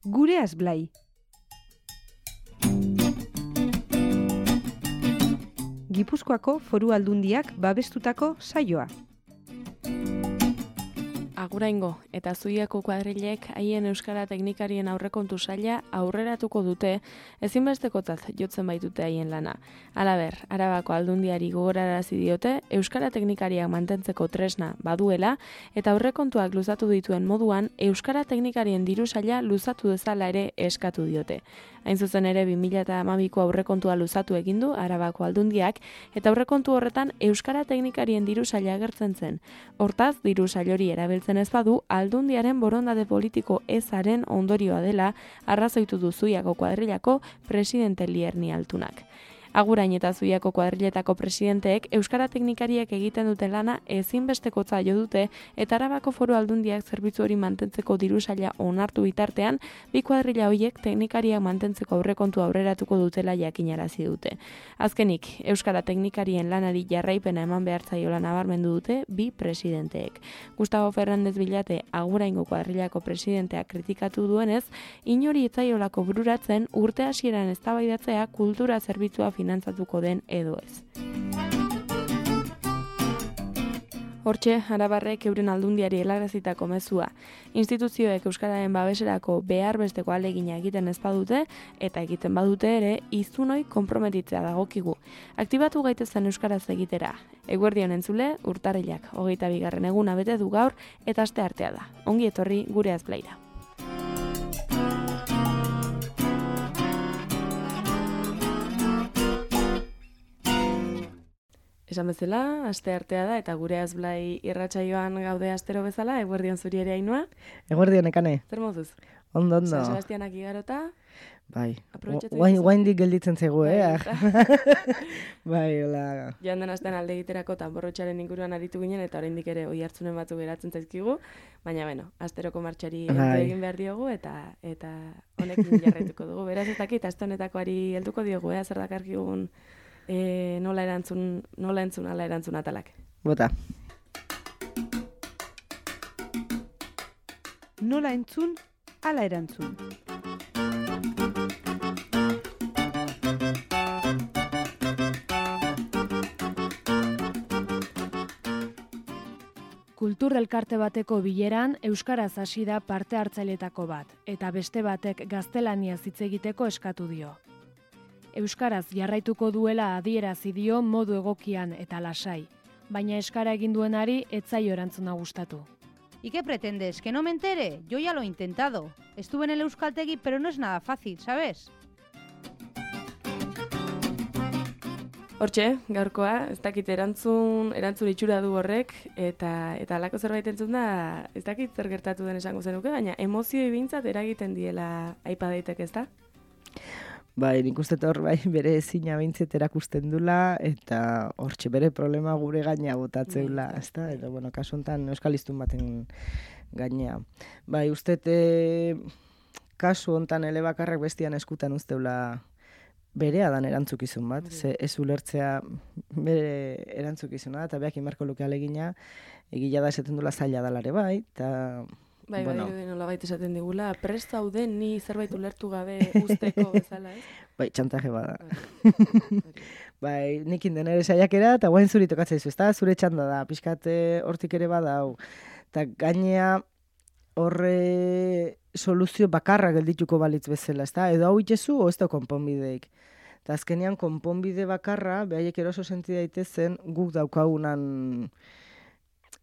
Gureaz Blai. Gipuzkoako Foru Aldundiak babestutako saioa. Aguraingo eta Zuiako kuadrilek haien euskara teknikarien aurrekontu saila aurreratuko dute, ezinbestekotzat jotzen baitute haien lana. Halaber, Arabako Aldundiari gogorarazi diote euskara teknikariak mantentzeko tresna baduela eta aurrekontuak luzatu dituen moduan euskara teknikarien diru saila luzatu dezala ere eskatu diote. Hain zuzen ere 2012ko aurrekontua luzatu egin du Arabako Aldundiak eta aurrekontu horretan euskara teknikarien diru saila agertzen zen. Hortaz, diru sail hori erabiltzen ez badu, Aldundiaren borondate politiko ezaren ondorioa dela arrazoitu du Zuiako kuadrilako presidente Lierni Altunak. Agurain eta Zuiako kuadriletako presidenteek euskara teknikariek egiten duten lana ezinbestekotza jo dute eta Arabako Foru Aldundiak zerbitzu hori mantentzeko diru saila onartu bitartean, bi kuadrila horiek teknikariak mantentzeko aurrekontu aurreratuko dutela jakinarazi dute. Azkenik, euskara teknikarien lanari jarraipena eman behar zaiola nabarmendu dute bi presidenteek. Gustavo Fernández Villate Aguraingo kuadrilako presidenteak kritikatu duenez, inori etzaiolako bururatzen urte hasieran eztabaidatzea kultura zerbitzua finantzatuko den edo ez. Hortxe, Arabarrek euren Aldundiari helarazitako mezua. Instituzioek euskararen babeserako behar besteko ahalegina egiten ez badute eta egiten badute ere hiztunoi konprometitzea dagokigu. Aktibatu gaitezen euskaraz egitera. Eguerdion entzule, urtarrilak 22. eguna bete du gaur eta asteartea da. Ongi etorri Gureaz Blaira. Esan bezala, asteartea da eta Gureaz Blai irratsaioan gaude astero bezala, eguerdion zuri ere Ainhoa. Eguerdion ekane. Zer moduz? Ondo. San Sebastianak igarota. Bai. Guaindik gelditzen zego, Bai, hola. Joan den astean alde egiterako tanborrotxaren inguruan aritu ginen eta oraindik ere oihartzunen batzu geratzen zaizkigu, baina bueno, asteroko martxari egin behar diogu eta honekin jarraituko dugu. Beraz ez dakit aste honetakoari helduko diogu, zer dakarkigun nola entzun ala erantzun atalak. Bota. Nola entzun ala erantzun. Kultur elkarte bateko bileran euskaraz hasi da parte hartzaileetako bat eta beste batek gaztelaniaz hitz egiteko eskatu dio. Euskaraz jarraituko duela adierazi dio modu egokian eta lasai, baina eskara egin duenari ez zaio erantzuna gustatu. ¿Y qué pretendes? ¿Que no me entere? Yo ya lo he intentado. Estuve en el Euskaltegi, pero no es nada fácil, ¿sabes? Hortxe, gaurkoa, ez dakit erantzun itxura du horrek, eta alako zerbait entzun da, ez dakit zer gertatu den esango zenuke, baina emozioi behintzat eragiten diela aipa daiteke, ez da? Bai, nik uste hor bere ezina behintzet erakusten dula, eta hortxe bere problema gure gaina botatzeula, ez da? Eta, bueno, kasu honetan euskaliztun baten gaina. Bai, uste kasu honetan elebakarrak bestian eskutan usteula berea dan erantzukizun bat, ze ez ulertzea bere erantzukizuna, eta beak inbarko luke alegina, egila da esaten dula zaila dalare bai, eta... Bai, nola baita esaten digula, prest zauden ni zerbait ulertu gabe usteko bezala, ez? Bai, txantaje bada. Bai, nikin den ere saiakera, eta guain zuri tokatzen dizu, ez da? Zure txanda da, pixkat hortik ere bada, hau. Eta gainea horre soluzio bakarra geldituko balitz bezala, ez da? Edo hau itxezu, o ez da konponbideik. Eta azkenean konponbide bakarra, behaiek eroso senti daitezen, guk daukagunan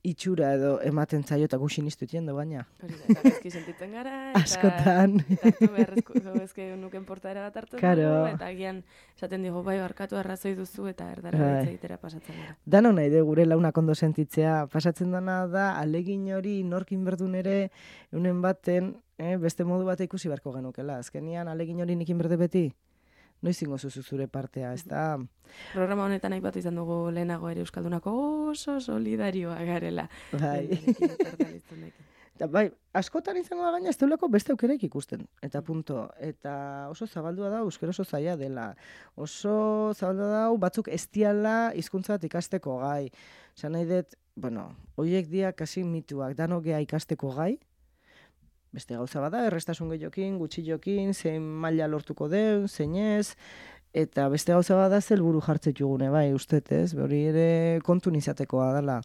itxura edo ematen zaio eta guxin iztutien du baina. Hori da, eta bezki sentitzen gara, askotan. Eta hartu beharrezko bezke nuken portaera bat hartu dugu, eta agian esaten digo, bai, barkatu arrazoi duzu eta erdara egitera pasatzen gara. Dano nahi de gure launak ondo sentitzea, pasatzen dana da, alegin hori norkin berdun ere, unen baten, beste modu bat ikusi beharko genukela. Azkenian, alegin hori nikin berde beti? Noizingo zuzu zure partea, ez da? Programa honetan aipatu izan dugu lehenago ere euskaldunako oso solidarioa garela. Bai. Eta bai, askotan izango da gaina ez deulako beste aukereik ikusten. Eta punto. Eta oso zabaldua da, euskera oso zaila dela. Oso zabaldua da, batzuk ez diala hizkuntza bat ikasteko gai. Esan nahi dut, bueno, horiek dia kasi mituak, danok gea ikasteko gai, Beste gauza bada, errestasun gehiokin, gutxiokin, zein maila lortuko den, zein ez, eta beste gauza bada helburu jartzetugune, bai, ustez, ez? Hori ere kontun izatekoa dela.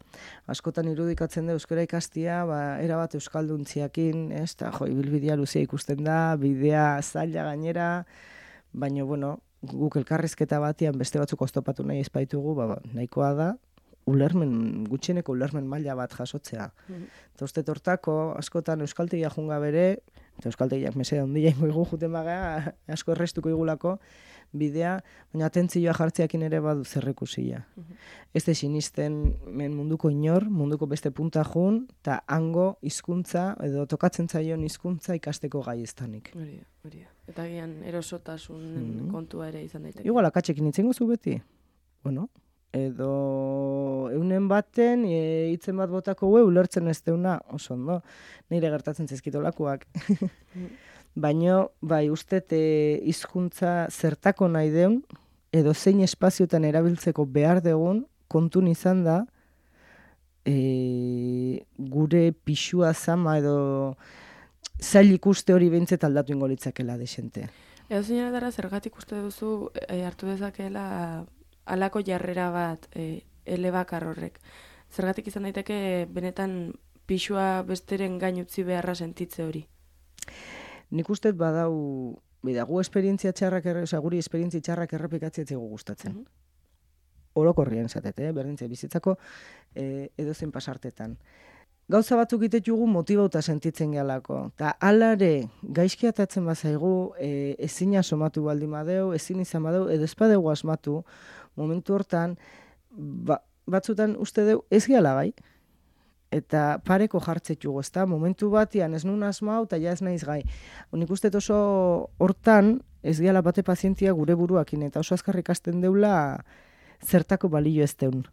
Askotan irudikatzen da euskara ikastia, erabat euskalduntziakin, ez? Ta jo, ibilbidea luzea ikusten da, bidea zaila gainera, baina bueno, guk elkarrizketa batean beste batzuk oztopatu nahi espaitugu, nahikoa da gutxieneko ulermen maila bat jasotzea. Eta uste hortako, askotan euskaltegia junga bere, eta euskaltegiak meseda ondia ingo juten bagea, asko errestuko igulako bidea, baina atentzioa jartzeakin ere badu zerrekusia. Ez da sinisten munduko inor, munduko beste punta jun, eta hango hizkuntza edo tokatzen zaion hizkuntza ikasteko gai estanik. Hori. Eta gian erosotasun kontua ere izan daiteke. Igual akatzekin itzengo zu beti? Bueno, edo eunen baten hitzen bat botako ulertzen ez deuna, oso ondo, nire gertatzen zaizkitolakoak. Baina, bai, ustez hizkuntza zertako nahi deun, edo zein espazioetan erabiltzeko behar degun, kontun izan da, gure pixua zama edo zail ikuste hori behintzet aldatu ingo litzakela desente. Edo zinetara zergatik uste duzu hartu dezakela alako jarrera bat elebakar horrek. Zergatik izan daiteke benetan pixua besteren gain utzi beharra sentitze hori? Nik uste badau, gu esperientzia txarrak, guri esperientzia txarrak errepikatzea zego gustatzen. Orokorrien zatete, berdintze bizitzako edozen pasartetan. Gauza batzuk itetugu motibauta sentitzen gehalako. Ta alare, gaizkiatatzen bazaigu, ezina somatu baldin badeu, ezin izan badeu, edo espadegu asmatu, momentu hortan, batzutan uste deu ez gehala gai. Eta pareko jartzetugu, ezta? Momentu batian ez nun asmau, eta ja ez naiz gai. Nik uste oso hortan, ez gehala bate pazientzia gure buruakin, eta oso azkarrik ikasten deula zertako balio ez deun.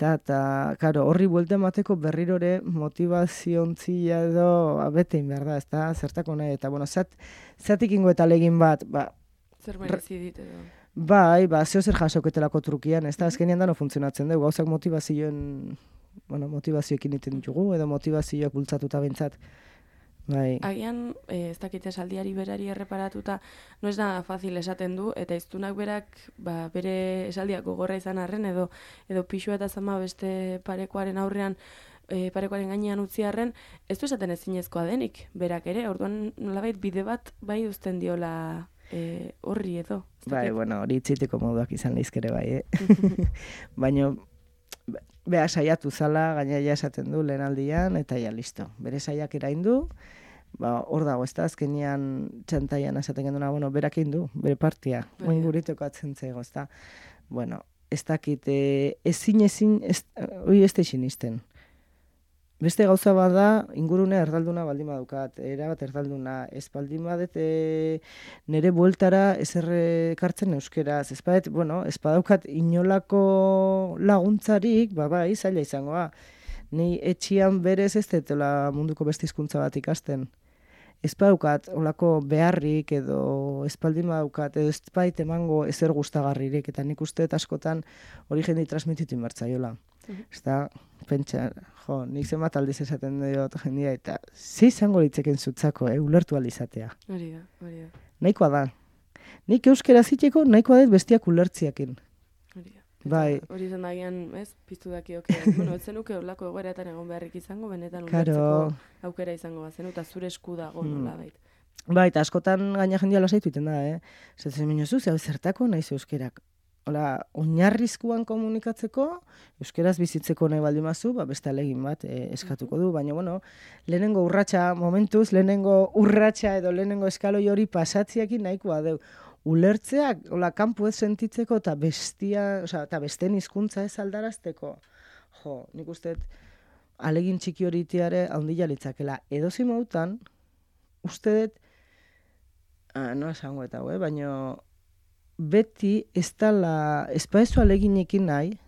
Eta, karo, horri buelta emateko berrirore motivaziontzia edo abetein behar da, ezta? Zertako nahi, eta, bueno, zatik ingo eta legin bat, zer merezi dit edo? Bai, zeo zer jasoketelako trukian, ezta? Azkenean dano funtzionatzen dugu, gauzak motivazioekin iten ditugu, edo motivazioak bultzatuta bentsat. Bai. Agian, ez dakit esaldiari berari erreparatuta, no ez nada fácil esaten du, eta iztunak berak bere esaldiak gogorra izan arren, edo pixua eta zama beste parekoaren aurrean, parekoaren gainean utzi arren, ez du esaten ezinezkoa denik, berak ere, orduan nolabait bide bat bai uzten diola horri edo. Bai, bueno, hori itziteko moduak izan leizkere bai, Baina, beha saiatu zala, gaina esaten du lehen aldian, eta ja listo. Bere saiak eraindu, hor dago, ez da, azkenian txantaian esaten genduna, bueno, berak du, bere partia, oin guriteko atzentzeego, ez da. Bueno, ez dakit, ezin, hori ez da izinisten. Beste gauza bada, ingurune erdalduna baldin badukat, erabat erdalduna, ez baldin badet nire bueltara ezerre kartzen euskeraz, ez badet, bueno, ez badaukat inolako laguntzarik, bai, zaila izangoa. Ni etxian berez ez detela munduko beste hizkuntza bat ikasten. Ez badaukat olako beharrik edo ez baldin badaukat, edo ez bait emango ezer gustagarririk, eta nik uste askotan hori jendei transmititu inbertzaiola. Ez da, pentsa, nik zenbat aldiz esaten diot jendia, eta ze izango litzeken zutzako, ulertu alizatea. Hori da. Nahikoa da. Nik euskera ziteko nahikoa dut bestiak ulertziakin. Hori da. Bai. Hori izan dagian, ez, piztu dakiok, bueno, ez zenuke olako egoeretan egon beharrik izango, benetan ulertzeko aukera izango bazenu, eta zure esku dago nola bait. Bai, eta askotan gaina jendia lasaitu iten da, Zaten minuzu, zertako naiz euskerak. Hola, oinarrizkoan komunikatzeko, euskeraz bizitzeko nahi baldin mazu, beste alegin bat eskatuko du, baina, bueno, lehenengo urratsa edo lehenengo eskaloi hori pasatziakin nahikoa deu. Ulertzeak, hola, kanpo ez sentitzeko eta besten hizkuntza ez aldarazteko. Jo, nik uste alegin txiki hori itiare haundila litzakela. Edozi mautan, uste dut, no esango eta, baina beti ez dala, ez paezu aleginekin nahi,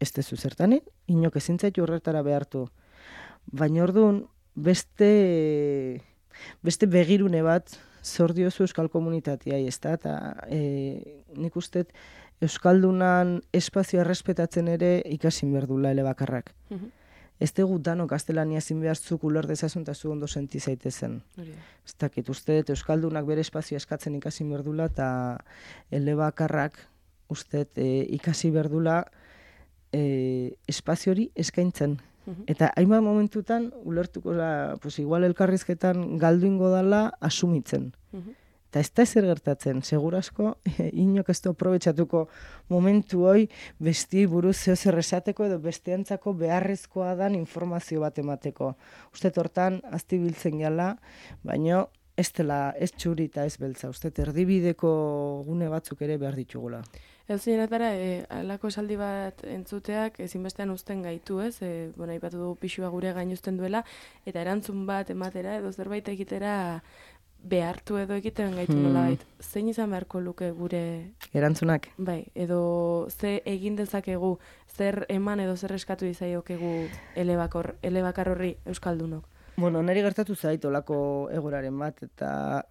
ez dezu zertanin, inok ezintzaitu horretara behartu. Baina orduan, beste begirune bat zor diozu euskal komunitatea, ez da, eta nik uste euskaldunan espazioa errespetatzen ere ikasin berdula elebakarrak. ez dugu danok gaztelania ezin behar zuk uler dezazun eta zu ondo senti zaitezen. Ez dakit, uste dut Euskaldunak bere espazioa eskatzen ikasi berdula eta elebakarrak uste ikasi berdula espazio hori eskaintzen. Eta hainbat momentutan ulertuko da, pues igual elkarrizketan galdu ingo dala asumitzen. Eta ez da ezer gertatzen, segurasko, inok ez du aprobetxatuko momentu hoi besti buruz zer esateko edo besteantzako beharrezkoa dan informazio bat emateko. Uste hortan azti biltzen gala, baina ez dela ez txuri eta ez beltza. Uste erdibideko gune batzuk ere behar ditugula. Edozinetara, alako esaldi bat entzuteak ezinbestean uzten gaitu, ez? Aipatu dugu pixua gure gain uzten duela, eta erantzun bat ematera edo zerbait egitera behartu edo egiten gaitu nolabait. Zein izan beharko luke gure... Erantzunak? Bai, edo ze egin dezakegu, zer eman edo zer eskatu izaiokegu elebakar horri euskaldunok? Bueno, niri gertatu zait olako egoraren bat, eta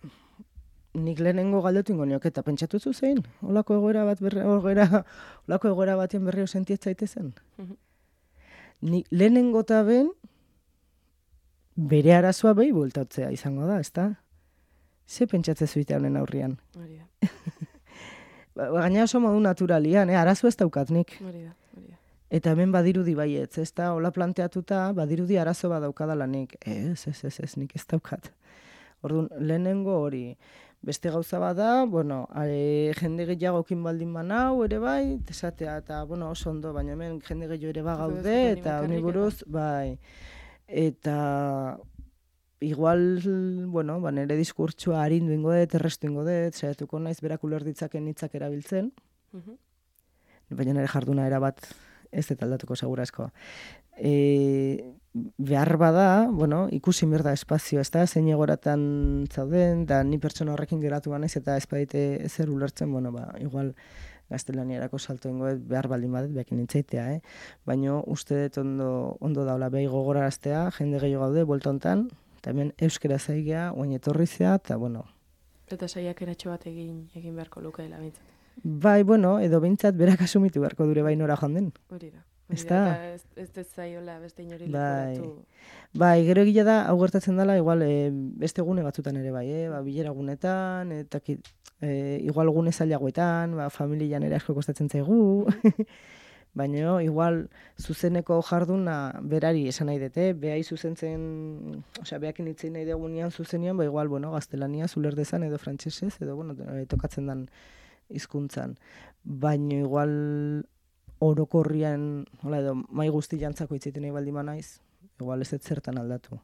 nik lehenengo galdetu ingo nioke, eta pentsatu zu zein? Olako egoera batean berriro sentiet zaitezen? Nik lehenengo eta ben bere arazoa behi bueltatzea izango da, ezta? Ze pentsatze zuite honen aurrian? Hori da. Gaina oso modu naturalian, arazo ez daukat nik. Hori da. Eta hemen badirudi baietz, ez da, hola planteatuta, badirudi arazo bat daukadala nik. Ez, nik ez daukat. Orduan, lehenengo hori, beste gauza bada, jende gehiagokin baldin manau ere bai, esatea, eta, oso ondo, baina hemen jende gehiago ere bagaude, eta honi buruz, bai. Eta, igual, nire diskurtsua harindu ingo dut, errestu ingo dut, saiatuko naiz berak uler ditzaken hitzak erabiltzen, baina nire jarduna erabat ez dut aldatuko segurasko. Behar bada, ikusi behar da espazio, ez da, zein egoratan zauden, da ni pertsona horrekin geratu banaiz, eta ez badite ezer ulertzen, igual gaztelaniarako salto ingo dut, behar baldin badet, behakin nintzaitea, baina uste dut ondo daula behi gogoraraztea, jende gehiago gaude, buelta hontan, eta hemen euskera zaigea, oain etorrizea, eta Eta saiak eratxo bat egin beharko lukeela bintzat. Bai, edo bintzat berak asumitu beharko dure bai nora joan den. Hori da. Eta ez zaiola beste inori leporatu. Bai, gero egila da, hau gertatzen dela, igual beste gune batzutan ere bai, bilera gunetan, eta igual gune zailagoetan, familian ere asko kostatzen zaigu, baina igual zuzeneko jarduna berari esan nahi dute, behai zuzentzen, behakin hitzein nahi degunean zuzenian, igual, gaztelania zuler dezan edo frantsesez, edo, tokatzen dan hizkuntzan. Baina igual orokorrian, edo mai guzti jantzako hitzeiten nahi baldin naiz, igual ez zertan aldatu.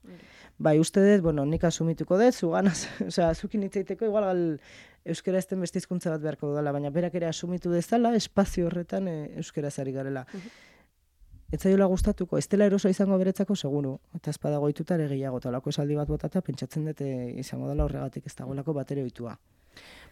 Bai, uste dut, nik asumituko dut, zuganaz, zukin hitzeiteko, igual euskera ezten beste hizkuntza bat beharko dudala, baina berak ere asumitu dezala, espazio horretan euskera zari garela. Ez zaiola gustatuko, ez dela eroso izango beretzako seguru, eta ezpada goituta ere gehiago, eta olako esaldi bat botata, pentsatzen dut izango dela horregatik ez dagoelako batere ohitua.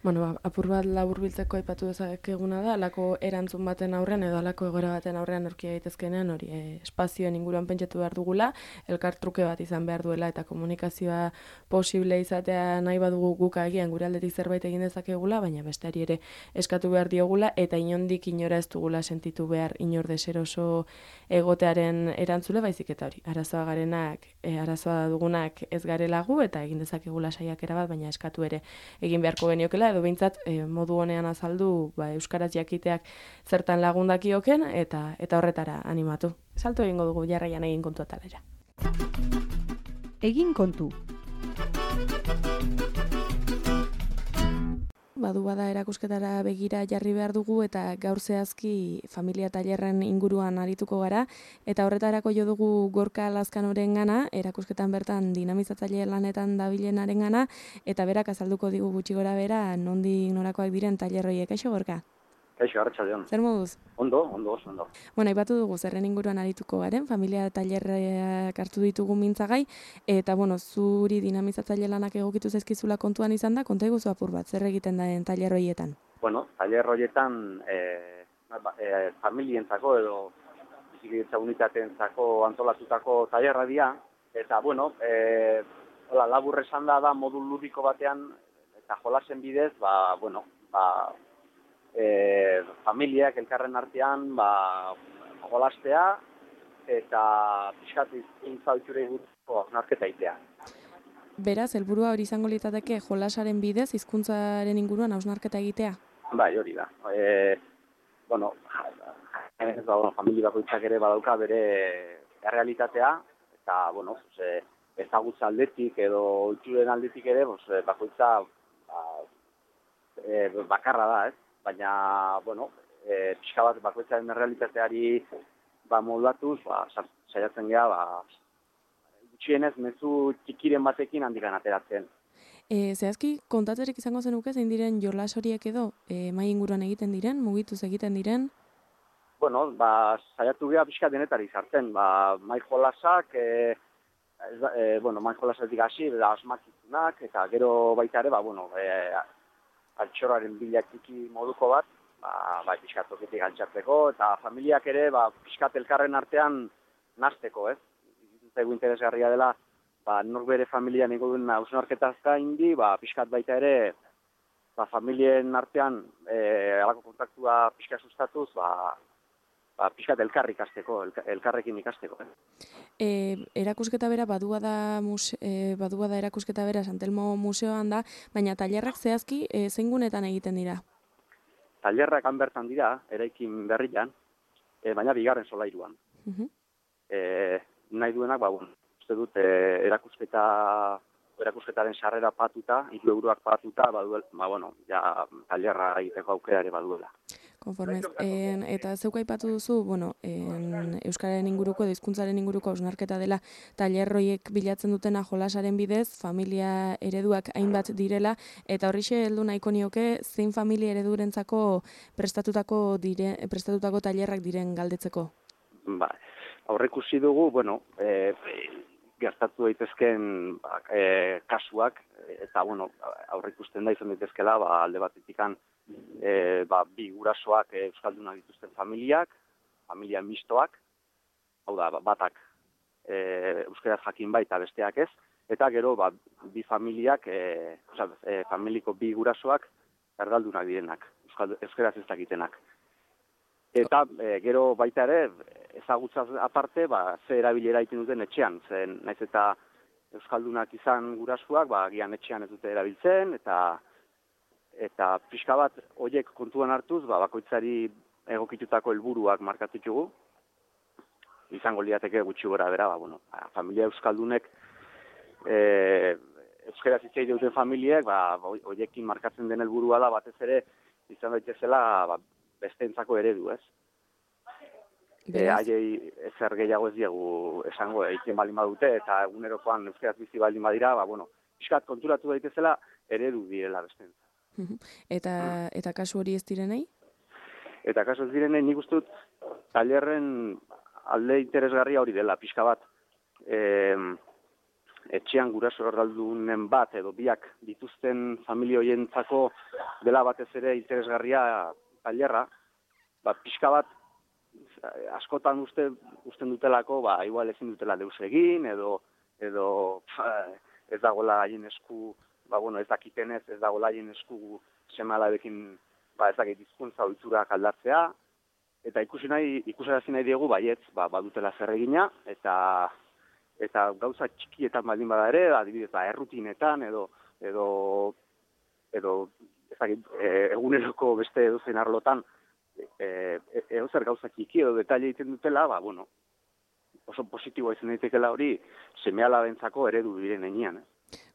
Apur bat laburbiltzeko aipatu dezakeguna da, alako erantzun baten aurrean edo alako egoera baten aurrean aurkia daitezkenean hori espazioen inguruan pentsatu behar dugula, elkartruke bat izan behar duela eta komunikazioa posible izatea nahi badugu guk agian gure aldetik zerbait egin dezakegula, baina besteari ere eskatu behar diogula eta inondik inora ez dugula sentitu behar inor deseroso egotearen erantzule, baizik eta hori, arazoa dugunak ez garelagu eta egin dezakegula saiakera bat, baina eskatu ere egin beharko geniokela, edo behintzat modu honean azaldu euskaraz jakiteak zertan lagundakioken eta horretara animatu. Salto egingo dugu jarraian egin kontu atalera. Egin kontu. Bada erakusketara begira jarri behar dugu eta gaur zehazki familia tailerren inguruan arituko gara eta horretarako jo dugu Gorka Lazkanoren gana, erakusketan bertan dinamizatzaile lanetan dabilenaren gana eta berak azalduko digu gutxi gora bera nondik norakoak diren tailerroiek. Kaixo Gorka? Kaixo, arratsaldeon. Zer moduz? Ondo. Aipatu dugu zerren inguruan arituko garen, familia tailerrak hartu ditugu mintzagai, eta zuri dinamizatzaile lanak egokitu zaizkizula kontuan izan da, konta iguzu apur bat, zer egiten den tailer horietan? Tailer horietan familientzako edo bizikidetza unitateentzako antolatutako tailerra dira, eta labur esan da modu ludiko batean, eta jolasen bidez, familiak elkarren artean jolastea eta pixkat hizkuntza ohiturei buruzko hausnarketa egitea. Beraz, helburua hori izango litzateke jolasaren bidez hizkuntzaren inguruan hausnarketa egitea. Bai, hori da. Familia bakoitzak ere badauka bere errealitatea, eta, ezagutza aldetik edo ohituren aldetik ere, bakoitza bakarra da, ez? Baina, pixka bat bakoitzaren errealitateari moldatuz, saiatzen geha, gutxienez mezu txikiren batekin handikan ateratzen. Zehazki, kontatzerik izango zenuke zein diren jolas horiek edo, mai inguruan egiten diren, mugituz egiten diren? Saiatu geha pixka denetari sartzen, mai jolasak, mai jolasetik hasi, asmakizunak, eta gero baita ere, altxorraren bilakiki moduko bat, pixkat toketik altxatzeko, eta familiak ere, pixkat elkarren artean nazteko, ez? Zaigu interesgarria dela, nork bere familian ego duen hausnarketaz gaindi, pixkat baita ere, familien artean alako kontaktua pixka sustatuz, pixkat elkarri ikasteko, elkarrekin ikasteko. Erakusketa bera, badua da erakusketa bera Santelmo Museoan da, baina tailerrak zehazki zein gunetan egiten dira? Tailerrak han bertan dira, eraikin berrian, baina bigarren solairuan. Nahi duenak, uste dut erakusketaren sarrera patuta, 3 euroak patuta, tailerra egiteko aukera ere baduela. Konformez. Eta zeuk aipatu duzu, euskararen inguruko, hizkuntzaren inguruko hausnarketa dela tailerroiek bilatzen dutena jolasaren bidez, familia ereduak hainbat direla, eta horrixe heldu nahiko nioke zein familia eredurentzako prestatutako tailerrak diren galdetzeko. Aurreikusi dugu, gertatu daitezken kasuak, eta aurreikusten da izan daitezkela, alde batetikan bi gurasoak euskaldunak dituzten familiak, familia mistoak, hau da, batak euskaraz jakin baita besteak ez, eta gero bi familiak, familiko bi gurasoak erdaldunak direnak, euskaraz ez dakitenak. Eta gero baita ere, ezagutzaz aparte, ze erabilera egiten duten etxean, zen naiz eta euskaldunak izan gurasuak, agian etxean ez dute erabiltzen, eta pixka bat horiek kontuan hartuz, bakoitzari egokitutako helburuak markatitugu. Izango lirateke gutxi gora bera, familia euskaldunek euskaraz hitz egiten duten familiek, horiekin markatzen den helburua da batez ere izan daitezela besteentzako eredu, ez? Haiei ezer gehiago ez diegu esango egiten baldin badute, eta egunerokoan euskaraz bizi baldin badira, pixkat konturatu daitezela eredu direla besteentzat. Eta kasu hori ez direnei? Eta kasu ez direnei nik uste dut tailerren alde interesgarria hori dela, pixka bat etxean guraso erdaldunen bat edo biak dituzten familia horientzako dela batez ere interesgarria tailerra, pixka bat askotan usten dutelako, igual ezin dutela deus egin, edo ez dagoela haien esku, ez dakitenez, ez dagoela haien esku seme-alabekin, ez dakit hizkuntza ohiturak aldatzea, eta ikusarazi nahi diegu baietz, badutela zer egina, eta gauza txikietan baldin bada ere, adibidez, errutinetan, edo ez dakit, eguneroko beste edozein arlotan, edozer gauza txiki edo detaile egiten dutela, oso positiboa izan daitekela hori seme-alabentzako eredu diren heinean.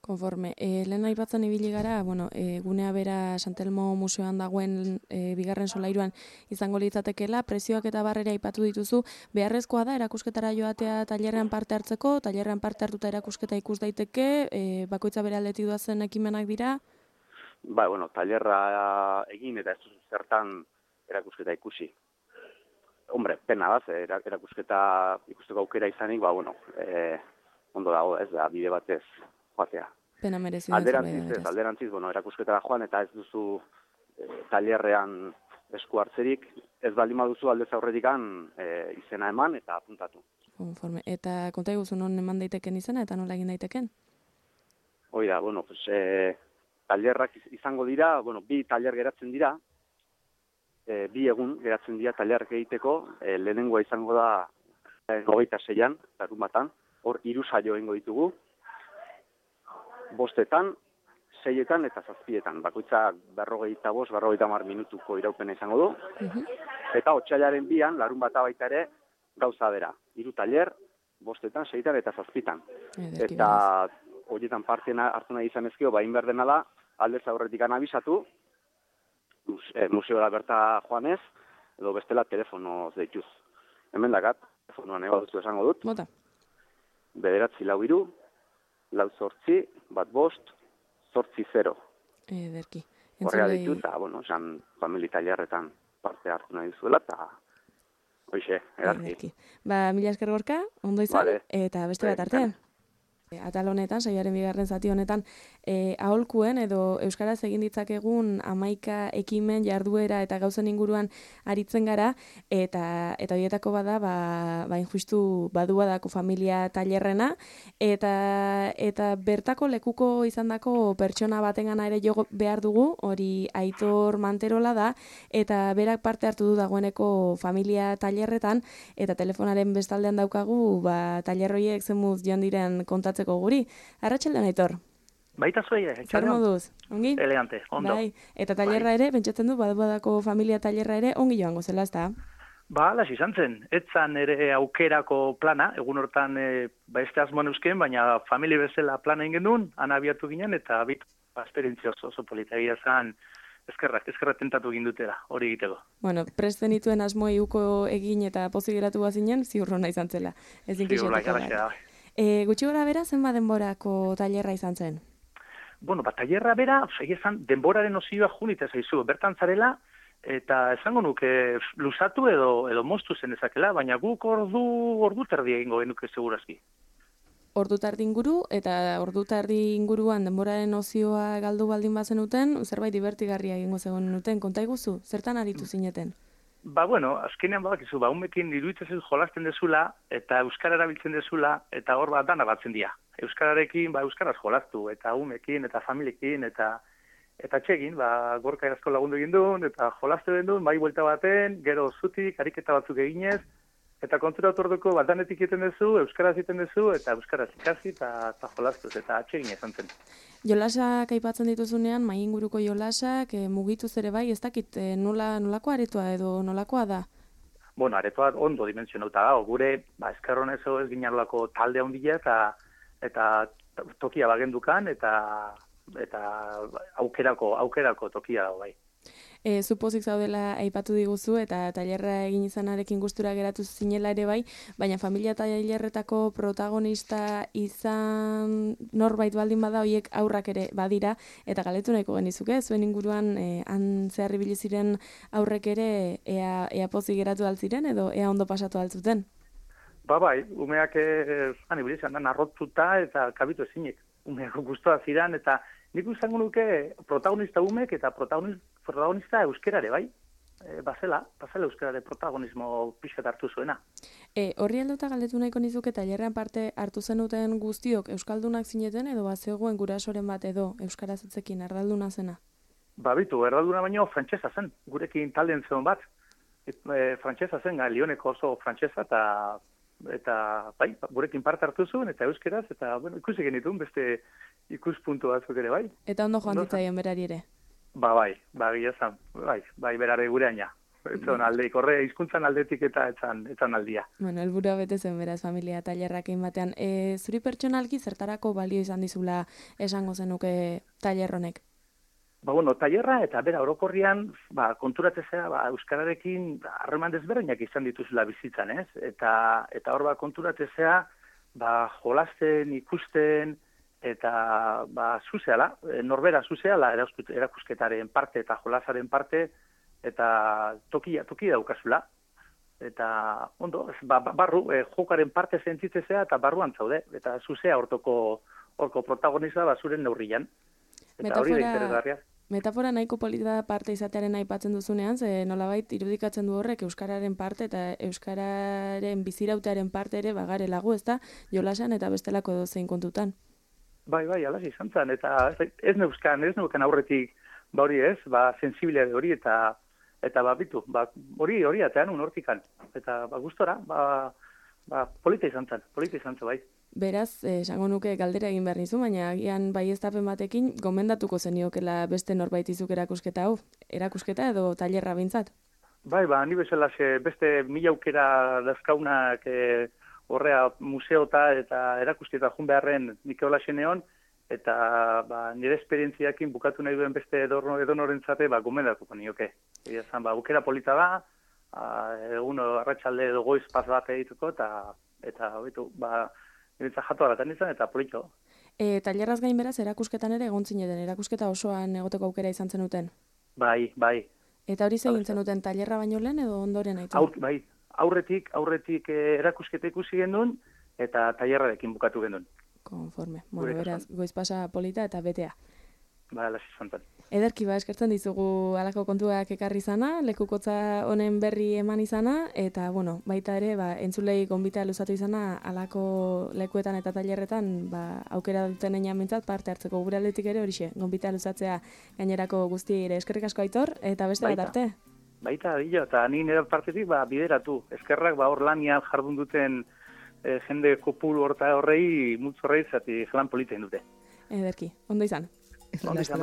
Konforme. Lehen aipatzen ibili gara, gunea bera Santelmo Museoan dagoen bigarren solairuan izango litzatekeela, prezioak eta barrera aipatu dituzu, beharrezkoa da erakusketara joatea tailerrean parte hartzeko, tailerrean parte hartuta erakusketa ikus daiteke, bakoitza bere aldetik doazen ekimenak dira? Tailerra egin eta ez zertan erakusketa ikusi. Hombre, pena da, erakusketa ikusteko aukera izanik, ondo dago, ez da, bide batez joatea. Pena merezi. Alderantziz, erakusketara joan eta ez duzu tailerrean esku hartzerik, ez baldin baduzu aldez aurretikan izena eman eta apuntatu. Konforme. Eta konta iguzu non eman daiteken izena eta nola egin daiteken? Hoi da, tailerrak izango dira, bi tailer geratzen dira, bi egun geratzen dira tailerrak egiteko, lehenengoa izango da 26an, larunbatan, hor 3 saio egingo ditugu, 5etan, 6etan eta 7etan. Bakoitza 45-50 minutuko iraupena izango du. Eta otsailaren 2an, larunbata baita ere, gauza bera. 3 tailer, 5etan, 6etan eta 7etan. Eta horietan parte hartu nahi izan ezkio, bain behar dena da, aldez aurretik anabizatu, museora berta joanez, edo bestela telefonoz deituz. Hemen dakat, telefonoan eba duzu esango dut. Bota. 943, 48, 15, 80. Ederki. Horrega ditu, eta, esan famili tailerretan parte hartu nahi duzuela, eta hoixe, edarki. Mila esker Gorka, ondo izan, Vale. eta beste bat arte. Atal honetan, saioaren 2. zati honetan, aholkuen edo euskaraz egin ditzakegun 11 ekimen jarduera eta gauzen inguruan aritzen gara, eta horietako bada, injustu badua dako familia tailerrena, eta bertako lekuko izandako pertsona batengana ere jo behar dugu, hori Aitor Manterola da, eta berak parte hartu du dagoeneko familia tailerretan, eta telefonaren bestaldean daukagu, tailerroiek zemuz joan diren kontatzen guri. Arratsaldean Aitor. Baita zuei, Zer moduz? Ongi? Elegante, ondo. Bai, eta tailerra ere, pentsatzen du, badako familia tailerra ere, ongi joango zela, ezta? Las izan zen. Etzan ere aukerako plana, egun hortan beste asmoan eusken, baina familia bezala plana ingen duen, anabiatu ginen, eta esperientzia oso polita egia zen, eskerrak tentatu egin dutela, hori egiteko. Bueno, presten dituen asmoi uko egin eta pozik geratu bazinen, ziurrona izan zela. Gutxi gora bera, zenba denborako tailerra izan zen? Tailerra bera, egizan, denboraren ozioa junita zaizu, bertan zarela, eta esango nuke luzatu edo moztu zen ezakela, baina guk ordu terdi egingo genuke segurazki. Ordu tardi inguru, eta ordu tardi inguruan denboraren ozioa galdu baldin bazenuten, zerbait divertigarria egingo zegoen konta iguzu, zertan aritu zineten? Azkenean badakizu, umekin iruditzen zaizu jolasten dezula, eta euskara erabiltzen dezula, eta hor dana batzen dira. Euskararekin, euskaraz jolastu, eta umekin, eta familiekin, eta txegin, Gorka erazko lagundu egin duen, eta jolastu egin duen, buelta baten, gero zutik, ariketa batzuk eginez, eta konturatu orduko danetik egiten duzu, euskaraz egiten duzu, eta euskaraz ikasi, eta jolastuz, eta txegin izan zen. Jolasak aipatzen dituzunean, mai inguruko jolasak, mugituz ere bai, ez dakit nolako aretoa edo nolakoa da? Aretoa ondo dimentsionauta da, gure, eskerron ez ginarolako talde handia eta tokia bagendukan, eta aukerako tokia dago bai. Zupozik zaudela aipatu diguzu eta tailerra egin izanarekin gustura geratu zinela ere bai, baina familia tailerretako protagonista izan norbait baldin bada hoiek aurrak ere badira, eta galetu nahiko genizuke, zuen inguruan han zehar ibili ziren aurrek ere ea pozik geratu altziren edo ea ondo pasatu altzuten? Umeak ibili izan narrotzuta eta kabitu ezinik. Umeak guztua ziren eta nik izango nuke protagonista umek eta protagonista euskerare, bai? Bazela euskerare protagonismo pixkat hartu zuena. Horri helduta galdetu nahiko nizuke tailerrean parte hartu zenuten guztiok euskaldunak zineten edo bazegoen gurasoren bat edo euskaraz hitzekin erdalduna zena? Erdalduna baino frantsesa zen, gurekin talden zeon bat. Frantsesa zen, Lioneko oso frantsesa eta gurekin parte hartu zuen, eta euskeraz, eta ikusi genitun beste ikuspuntu batzuk ere, bai. Eta ondo joan ditzaien berari ere? Gilezan, berare gureaina. Etzon aldeik, horre, hizkuntzan aldetik eta etzan aldia. Helburua bete zen beraz, familia tailerrak egin batean. Zuri pertsonalki zertarako balio izan dizula esango zenuke tailerronek? Tailerra eta bera orokorrian, konturatzea, euskararekin harreman desberdinak izan dituzula bizitzan, ez? Eta hor konturatzea, jolasten, ikusten, eta zuzeala, norbera zuzeala erakusketaren parte eta jolasaren parte, eta toki daukazula. Eta, barru, jokaren parte sentitzea eta barruan zaude, eta zuzea horko protagonista zuren neurrian. Eta hori da interesgarria. Metafora nahiko polita parte izatearen aipatzen duzunean, ze nolabait irudikatzen du horrek euskararen parte eta euskararen bizirautearen parte ere bagarelago, ezta, jolasan eta bestelako dozein kontutan. Bai, alas izan zen, eta ez neukan aurretik hori ez, sensibilitate hori eta bitu, hori atean hortikan. Eta gustora, polita izan zen bai. Beraz, esango nuke galdera egin behar nizu, baina agian baieztapen batekin gomendatuko zeniokela beste norbait izuk erakusketa hau, erakusketa edo tailerra bintzat? Bai, ni bezala beste 1000 aukera dazkaunak horrea museota eta erakusketa jun beharren Nikola Xeneon, eta nire esperientziakin bukatu nahi duen beste edonorentzate gomendatuko nioke. Egia aukera polita da, egun arratsalde edo goiz paz bat egiteko, eta hobetu, niretzat jatu alatan izan, eta polito. Tailerraz gain beraz, erakusketan ere egon zineten, erakusketa osoan egoteko aukera izan zenuten? Bai. Eta hori zegin zenuten, tailerra baino lehen edo ondoren aitu? Bai, aurretik erakusketa ikusi gendun, eta tailerrarekin bukatu gendun. Konforme. Bueno, beraz, goiz pasa polita eta betea. Lasi zantan. Ederki, eskertzen dizugu alako kontuak ekarri izana, lekukotza honen berri eman izana, eta, baita ere, entzulei gonbita luzatu izana alako lekuetan eta tailerretan, aukera duten einan bintzat, parte hartzeko gure aldetik ere horixe, gonbita luzatzea gainerako guzti ere. Eskerrik asko Aitor, eta beste bat arte. Baita, eta ni nire partetik bideratu. Eskerrak hor lanian jardun duten jende kopuru horrei multzorrei zati lan polita dute. Ederki, ondo izan. Ondo izan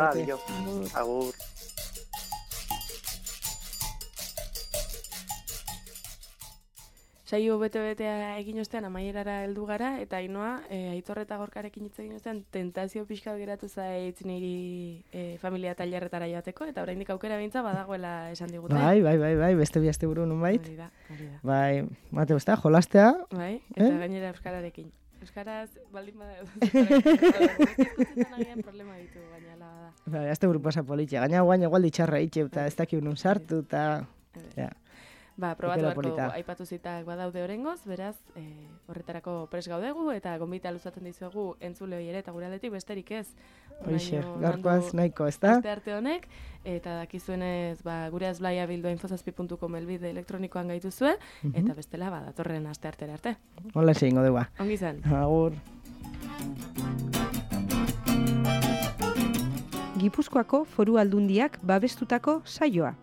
agur. Saio bete-betea egin ostean amaierara heldu gara, eta Ainoa, Aitor eta Gorkarekin hitz egin ostean, tentazio pixka geratu zaitz niri familia tailerretara joateko, eta oraindik aukera bintza badagoela esan digute. Bai, beste bi asteburu nonbait. Hori da. Bai, mate besta, jolastea. Bai, eta gainera euskararekin. Euskaraz, baldin izkutzen agian problema ditu, gaina ala bada. Bai, asteburu pasa politia. Gaina guain egual ditxarra itxe, eta ez dakik unun sartu, eta... Probatu beharko aipatu zitak badaude orengoz, beraz, horretarako pres gaudegu, eta gonbita luzaten dizuegu entzule hori ere, eta gure aldetik besterik ez. Hoixe, gaurkoaz nahiko, ez da? Beste arte honek, eta dakizuenez, gure azblaia bildoa infozazpi.com elbide elektronikoan gaituzue, eta bestela, datorren aste artera arte. Hola, egingo dugu. Ongi zen. Agur. Gipuzkoako Foru Aldundiak babestutako saioa.